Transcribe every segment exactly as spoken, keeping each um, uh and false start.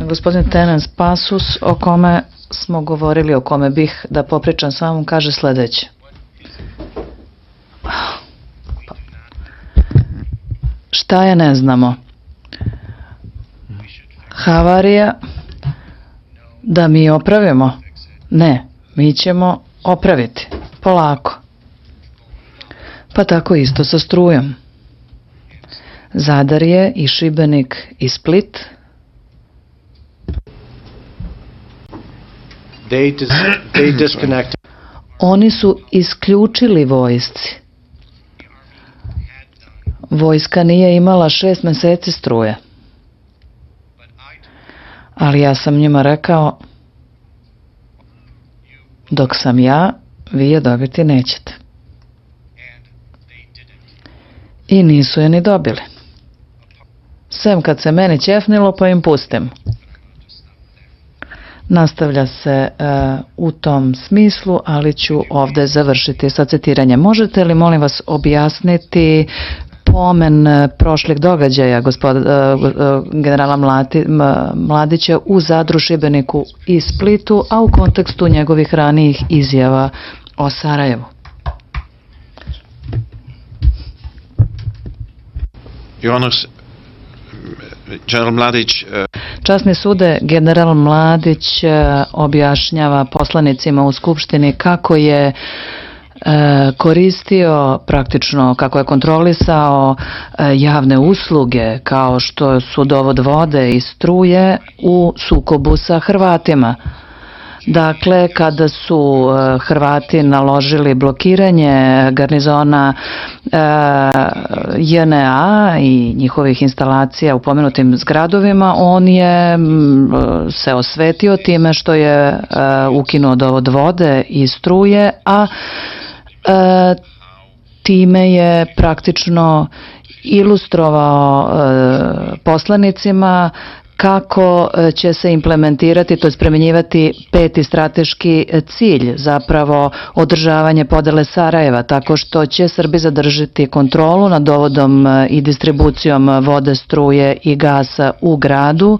Gospodin Tenens Pasus, o kome smo govorili, o kome bih da popričam s vama, kaže sledeće. Šta je, ne znamo. Havarija, da mi opravimo? Ne, mi ćemo opraviti, polako. Pa tako isto sa strujom. Zadar je i Šibenik i Split. Oni su isključili vojsci. Vojska nije imala šest meseci struje. Ali ja sam njima rekao, dok sam ja, vi je dobiti nećete. I nisu je ni dobili. Sem kad se meni ćefnilo, pa im pustim. Nastavlja se uh, u tom smislu, ali ću ovde završiti sa citiranjem. Možete li, molim vas, objasniti pomen prošlih događaja gospod, uh, uh, generala Mlati, Mladića u Zadru, Šibeniku i Splitu, a u kontekstu njegovih ranijih izjava o Sarajevu? General Mladić, Časni sude, general Mladić objašnjava poslanicima u Skupštini kako je koristio, praktično kako je kontrolisao javne usluge kao što su dovod vode i struje u sukobu sa Hrvatima. Dakle, kada su Hrvati naložili blokiranje garnizona J N A i njihovih instalacija u pomenutim zgradovima, on je se osvetio time što je ukinuo dovod vode i struje, a time je praktično ilustrovao poslanicima kako će se implementirati, to je premenjivati peti strateški cilj, zapravo održavanje podele Sarajeva, tako što će Srbi zadržati kontrolu nad dovodom i distribucijom vode, struje i gasa u gradu,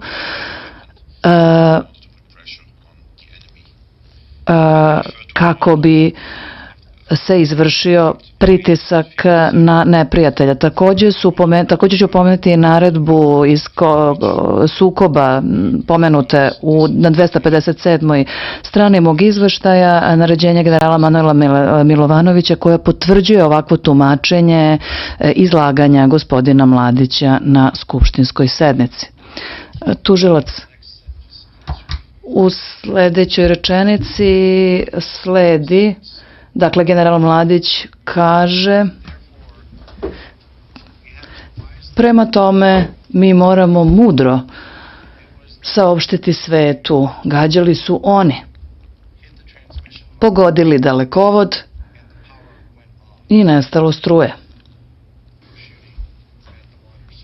e, e, kako bi se izvršio pritisak na neprijatelja. Takođe, su, takođe ću pomenuti i naredbu iz sukoba pomenute u, na dvesta pedeset sedmoj strani mog izveštaja, naređenja generala Manuela Milovanovića, koja potvrđuje ovakvo tumačenje izlaganja gospodina Mladića na skupštinskoj sednici. Tužilac, u sledećoj rečenici sledi, dakle, general Mladić kaže, prema tome mi moramo mudro saopštiti svetu, gađali su oni, pogodili dalekovod i nestalo struje.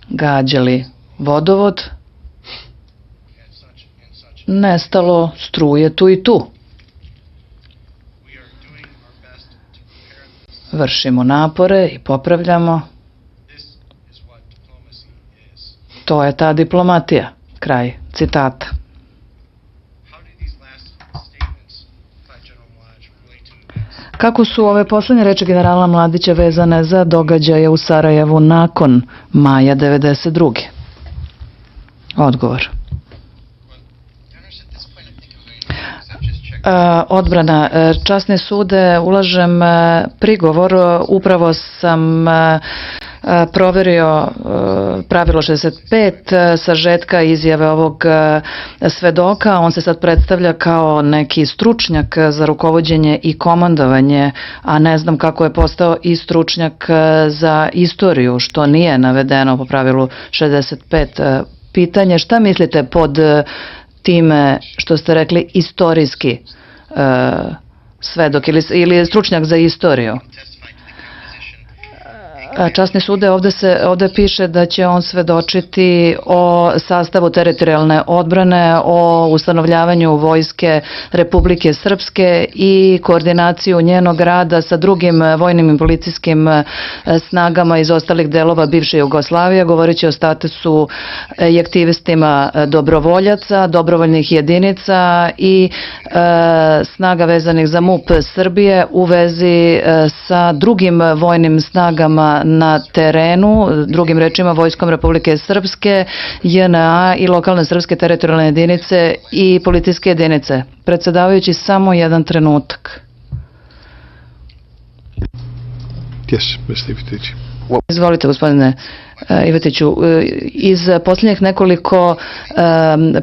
Gađali vodovod, nestalo struje tu i tu. Vršimo napore i popravljamo. To je ta diplomatija. Kraj citata. Kako su ove poslednje reči generala Mladića vezane za događaje u Sarajevu nakon maja devedeset druge? Odgovor. Odbrana. Časni sude, ulažem prigovor, upravo sam proverio pravilo šezdeset pet sažetka izjave ovog svedoka. On se sad predstavlja kao neki stručnjak za rukovođenje i komandovanje, a ne znam kako je postao i stručnjak za istoriju, što nije navedeno po pravilu šezdeset pet. Pitanje, šta mislite pod time što ste rekli istorijski svedok ili stručnjak za istoriju? Časni sude, ovde, se, ovde piše da će on svedočiti o sastavu teritorijalne odbrane, o ustanovljavanju vojske Republike Srpske i koordinaciju njenog rada sa drugim vojnim i policijskim snagama iz ostalih delova bivše Jugoslavije, govoreći o statusu i aktivistima dobrovoljaca, dobrovoljnih jedinica i e, snaga vezanih za MUP Srbije u vezi e, sa drugim vojnim snagama na terenu, drugim rečima Vojskom Republike Srpske, J N A i lokalne srpske teritorijalne jedinice i policijske jedinice. Predsedavajući, samo jedan trenutak. Yes, mister Ivetić. Izvolite, gospodine Ivetiću. Iz posljednjih nekoliko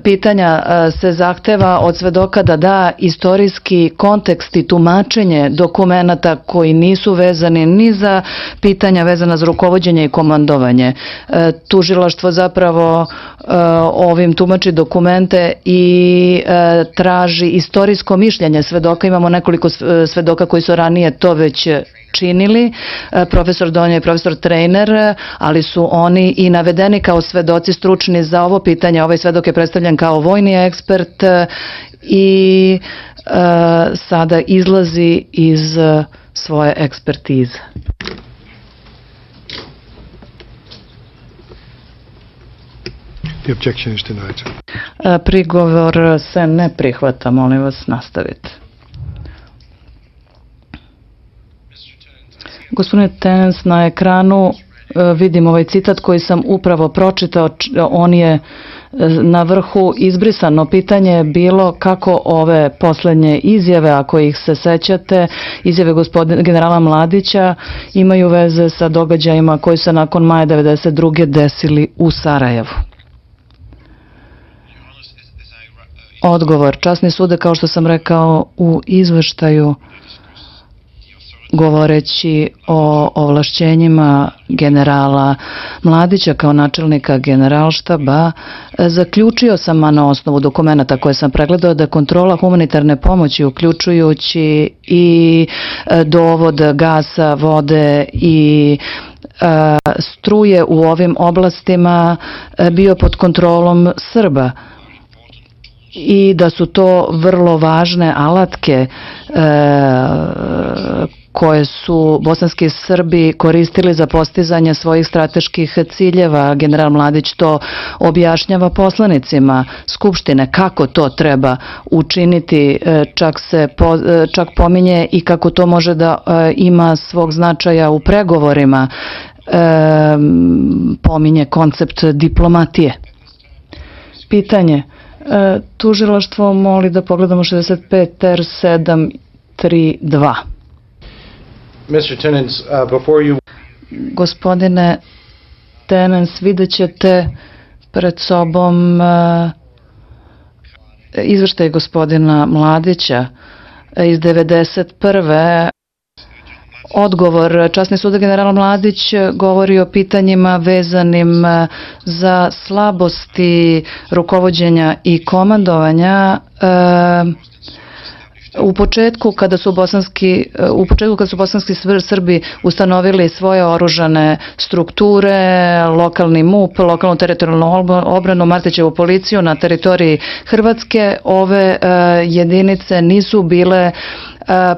pitanja se zahteva od svedoka da da istorijski kontekst i tumačenje dokumenata koji nisu vezani ni za pitanja vezana za rukovođenje i komandovanje. Tužilaštvo zapravo ovim tumači dokumente i traži istorijsko mišljenje svedoka. Imamo nekoliko svedoka koji su ranije to već činili, profesor Donja i profesor Trejner, ali su oni i navedeni kao svedoci stručni za ovo pitanje. Ovaj svedok je predstavljen kao vojni ekspert i e, sada izlazi iz svoje ekspertize. The objection is denied. Prigovor se ne prihvata, molim vas, nastavite. Gospodine Tenens, na ekranu vidim ovaj citat koji sam upravo pročitao, on je na vrhu izbrisano. Pitanje je bilo kako ove poslednje izjave, ako ih se sećate, izjave gospodina generala Mladića imaju veze sa događajima koji se nakon maja devedeset druge desili u Sarajevu. Odgovor. Časni sude, kao što sam rekao u izveštaju, govoreći o ovlašćenjima generala Mladića kao načelnika generalštaba, zaključio sam na osnovu dokumenta koje sam pregledao da kontrola humanitarne pomoći, uključujući i dovod gasa, vode i struje u ovim oblastima, bio pod kontrolom Srba i da su to vrlo važne alatke koje su bosanski Srbi koristili za postizanje svojih strateških ciljeva. General Mladić to objašnjava poslanicima Skupštine kako to treba učiniti, čak se po, čak pominje i kako to može da ima svog značaja u pregovorima, pominje koncept diplomatije. Pitanje. Tužilaštvo moli da pogledamo šezdeset pet ter sedam tri dva. mister Tenens, uh, before you... Gospodine Tenens, vidjet ćete pred sobom uh, izveštaj gospodina Mladića iz devedeset prve. Odgovor. Časni sud general Mladić govori o pitanjima vezanim za slabosti rukovođenja i komandovanja. U početku kada su bosanski u početku kada su bosanski Srbi ustanovili svoje oružane strukture, lokalni MUP, lokalnu teritorijalnu obranu, Martićevu policiju na teritoriji Hrvatske, ove jedinice nisu bile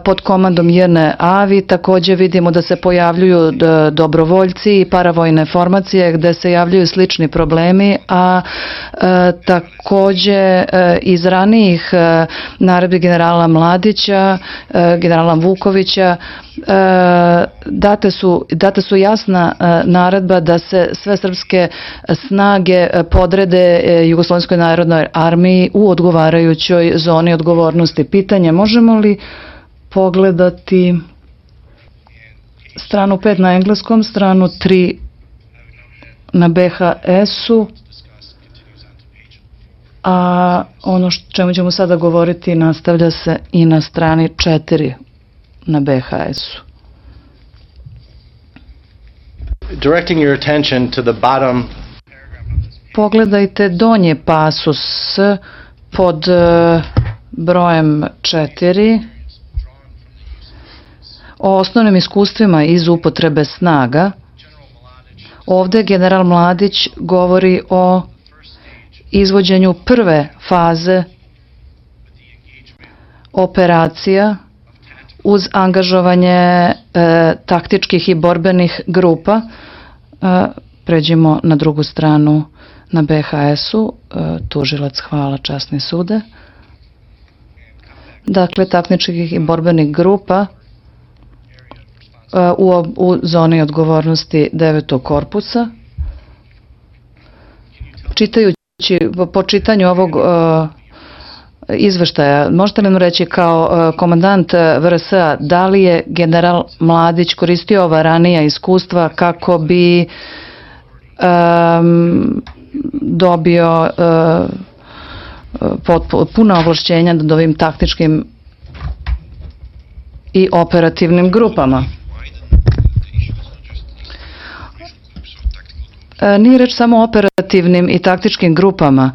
pod komandom J N A. Vi takođe vidimo da se pojavljuju dobrovoljci i paravojne formacije gde se javljaju slični problemi, a takođe iz ranijih naredbi generala Mladića, generala Vukovića, date su, date su jasna naredba da se sve srpske snage podrede Jugoslovenskoj narodnoj armiji u odgovarajućoj zoni odgovornosti. Pitanje, možemo li pogledati stranu pet na engleskom, stranu tri na B H S-u, a ono što čemu ćemo sada govoriti nastavlja se i na strani četiri na B H S-u. Directing your attention to the bottom. Pogledajte donji pasus pod brojem četiri o osnovnim iskustvima iz upotrebe snaga. Ovde general Mladić govori o izvođenju prve faze operacija uz angažovanje e, taktičkih i borbenih grupa. E, pređimo na drugu stranu, na B H S-u. E, tužilac, hvala, časni sude. Dakle, taktičkih i borbenih grupa e, u, u zoni odgovornosti devetog korpusa. Čitajući, po čitanju ovog e, izveštaja, možete li nam reći kao komandant V R S-a da li je general Mladić koristio ova ranija iskustva kako bi um, dobio uh, puna ovlašćenja nad ovim taktičkim i operativnim grupama? Nije reč samo o operativnim i taktičkim grupama.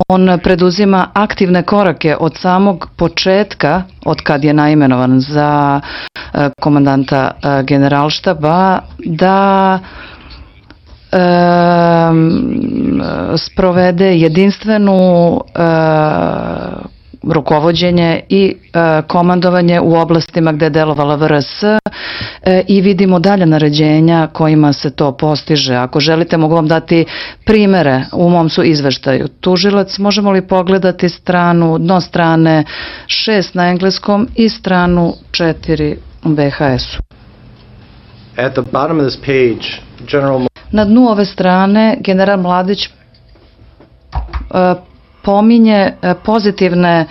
On preduzima aktivne korake od samog početka, od kad je naimenovan za komandanta generalštaba, da e, sprovede jedinstvenu e, rukovođenje i e, komandovanje u oblastima gde je delovala V R S e, i vidimo dalje naređenja kojima se to postiže. Ako želite, mogu vam dati primere u mom su izveštaju. Tužilac, možemo li pogledati stranu, dno strane šest na engleskom i stranu četiri u B H S-u? At the bottom of this page, General... Na dnu ove strane general Mladić e, pominje pozitivne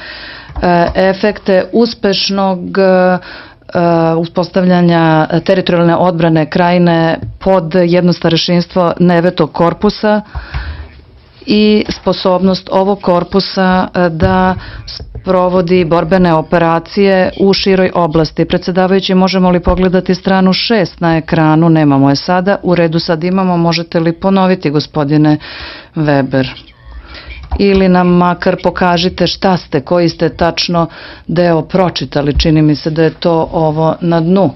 efekte uspešnog uspostavljanja teritorijalne odbrane krajine pod jedno starešinstvo devetog korpusa i sposobnost ovog korpusa da sprovodi borbene operacije u široj oblasti. Predsjedavajući, možemo li pogledati stranu šest na ekranu? Nemamo je sada. U redu, sad imamo. Možete li ponoviti, gospodine Weber? Ili nam makar pokažite šta ste, koji ste tačno deo pročitali. Čini mi se da je to ovo na dnu.